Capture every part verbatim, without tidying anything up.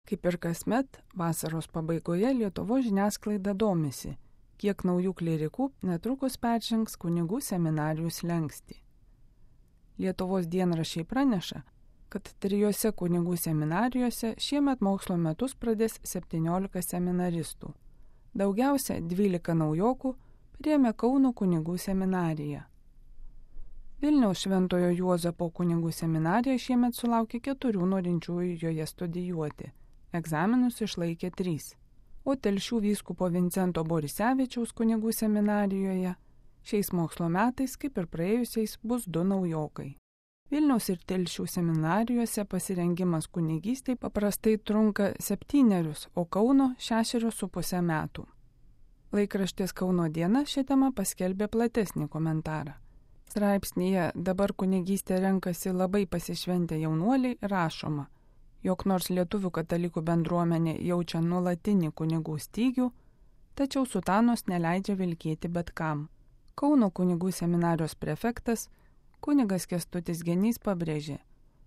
Kaip ir kasmet, vasaros pabaigoje Lietuvos žiniasklaida domisi, kiek naujų klierikų netrukus peržengs kunigų seminarijų slenkstį. Lietuvos dienraščiai praneša, kad trijose kunigų seminarijose šiemet mokslo metus pradės septyniolika seminaristų. Daugiausia dvylika naujokų priėmė Kauno kunigų seminariją. Vilniaus Šventojo Juozapo kunigų seminarija šiemet sulaukė keturių norinčiųjų joje studijuoti. Egzaminus išlaikė trys. O Telšių vyskupo Vincento Borisevičiaus kunigų seminarijoje šiais mokslo metais, kaip ir praėjusiais, bus du naujokai. Vilniaus ir Telšių seminarijose pasirengimas kunigystei paprastai trunka septynerius, o Kauno šešerius su pusę metų. Laikraštis Kauno diena šią temą paskelbė platesnį komentarą. Straipsnyje "Dabar kunigystę renkasi labai pasišventę jaunuoliai" rašoma, jog nors lietuvių katalikų bendruomenė jaučia nuolatinį kunigų stygių, tačiau sutanos neleidžia vilkėti bet kam. Kauno kunigų seminarijos prefektas kunigas Kęstutis Genys pabrėžė,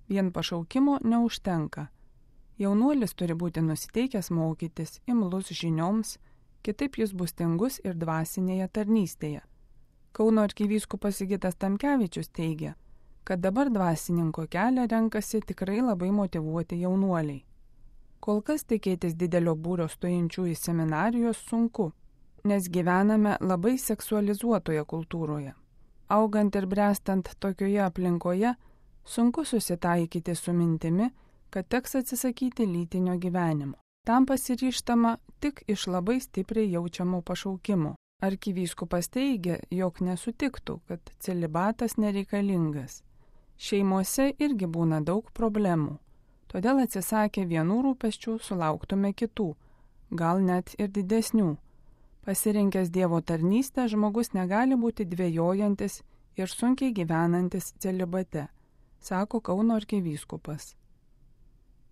vien pašaukimo neužtenka. Jaunuolis turi būti nusiteikęs mokytis, imlus žinioms, kitaip jis bus tingus ir dvasinėje tarnystėje. Kauno arkivyskupas Sigitas Tamkevičius teigia, kad dabar dvasininko kelią renkasi tikrai labai motyvuoti jaunuoliai. Kol kas tikėtis didelio būrio stojančių į seminarijos sunku, nes gyvename labai seksualizuotoje kultūroje. Augant ir brestant tokioje aplinkoje, sunku susitaikyti su mintimi, kad teks atsisakyti lytinio gyvenimo. Tam pasiryžtama tik iš labai stipriai jaučiamo pašaukimo. Arkivyskupas teigia, jog nesutiktų, kad celibatas nereikalingas. Šeimose irgi būna daug problemų, todėl atsisakę vienų rūpesčių sulauktume kitų, gal net ir didesnių. Pasirinkęs Dievo tarnystę žmogus negali būti dvejojantis ir sunkiai gyvenantis celibate, sako Kauno arkivyskupas.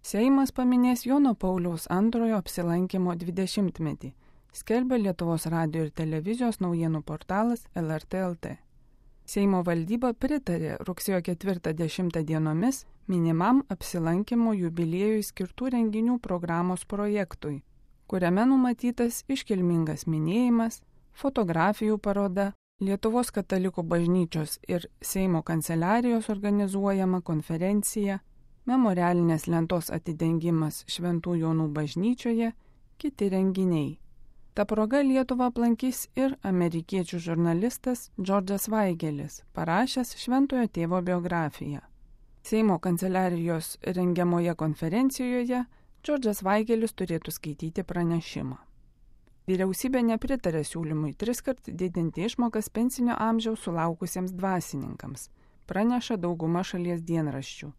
Seimas paminės Jono Pauliaus antrojo apsilankimo dvidešimtmetį, skelbia Lietuvos radijo ir televizijos naujienų portalas L R T L T. Seimo valdyba pritarė rugsėjo ketvirtą dešimtą dienomis minimam apsilankimo jubiliejui skirtų renginių programos projektui, kuriame numatytas iškilmingas minėjimas, fotografijų paroda, Lietuvos katalikų bažnyčios ir Seimo kanceliarijos organizuojama konferencija, memorialinės lentos atidengimas Šventų Jonų bažnyčioje, kiti renginiai. Ta proga Lietuvą aplankys ir amerikiečių žurnalistas Džordžas Vaigelis, parašęs Šventojo tėvo biografiją. Seimo kanceliarijos rengiamoje konferencijoje Džordžas Vaigelis turėtų skaityti pranešimą. Vyriausybė nepritarė siūlymui triskart didinti išmokas pensinio amžiaus sulaukusiems dvasininkams, praneša dauguma šalies dienraščių.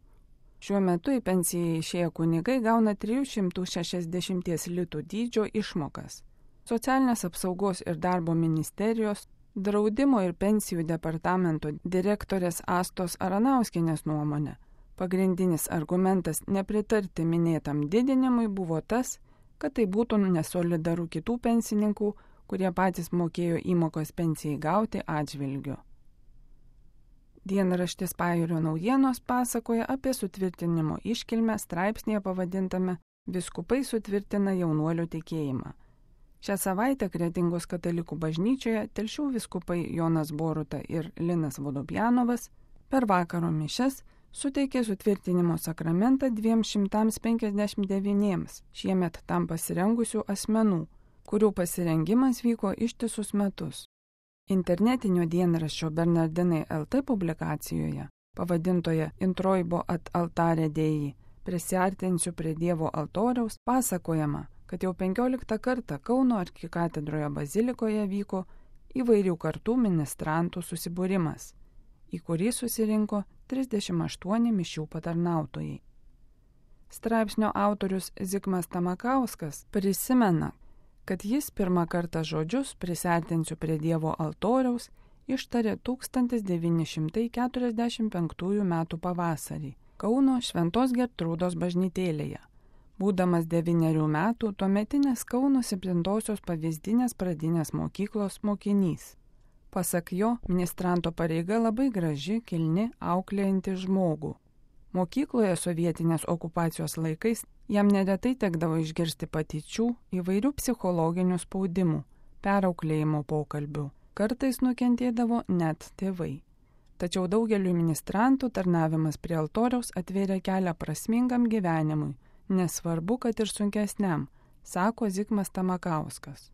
Šiuo metu į pensiją išėję kunigai gauna trijų šimtų šešiasdešimties litų dydžio išmokas. Socialinės apsaugos ir darbo ministerijos, draudimo ir pensijų departamento direktorės Astos Aranauskienės nuomonė. Pagrindinis argumentas nepritarti minėtam didinimui buvo tas, kad tai būtų nesolidaru kitų pensininkų, kurie patys mokėjo įmokos pensijai gauti atžvilgiu. Dienraštis Pajūrio naujienos pasakoja apie sutvirtinimo iškilmę straipsnėje pavadintame "Vyskupai sutvirtina jaunuolių tikėjimą". Šią savaitę Kretingos katalikų bažnyčioje Telšių vyskupai Jonas Boruta ir Linas Vodopjanovas per vakaro mišias suteikė sutvirtinimo sakramentą dviem šimtams penkiasdešimt devyniems šiemet tam pasirengusių asmenų, kurių pasirengimas vyko ištisus metus. Internetinio dienraščio Bernardinai L T publikacijoje, pavadintoje Introibo at altare Dei, prisiartinsiu prie Dievo altoriaus, pasakojama, kad jau penkioliktą kartą Kauno arkikatedroje bazilikoje vyko įvairių kartų ministrantų susibūrimas, į kurį susirinko trisdešimt aštuoni mišių patarnautojai. Straipsnio autorius Zigmas Tamakauskas prisimena, kad jis pirmą kartą žodžius "prisiartinsiu prie Dievo altoriaus" ištarė tūkstantis devyni šimtai keturiasdešimt penktųjų metų pavasarį Kauno Šventos Gertrūdos bažnytėlėje. Būdamas devynerių metų tuometinės Kauno septintosios pavyzdinės pradinės mokyklos mokinys. Pasak jo, ministranto pareiga labai graži, kilni, auklėjanti žmogų. Mokykloje sovietinės okupacijos laikais Jam neretai tekdavo išgirsti patyčių, įvairių psichologinių spaudimų, perauklėjimo pokalbių. Kartais nukentėdavo net tėvai. Tačiau daugeliu ministrantų tarnavimas prie altoriaus atvėrė kelią prasmingam gyvenimui, nesvarbu, kad ir sunkesniam, sako Zigmas Tamakauskas.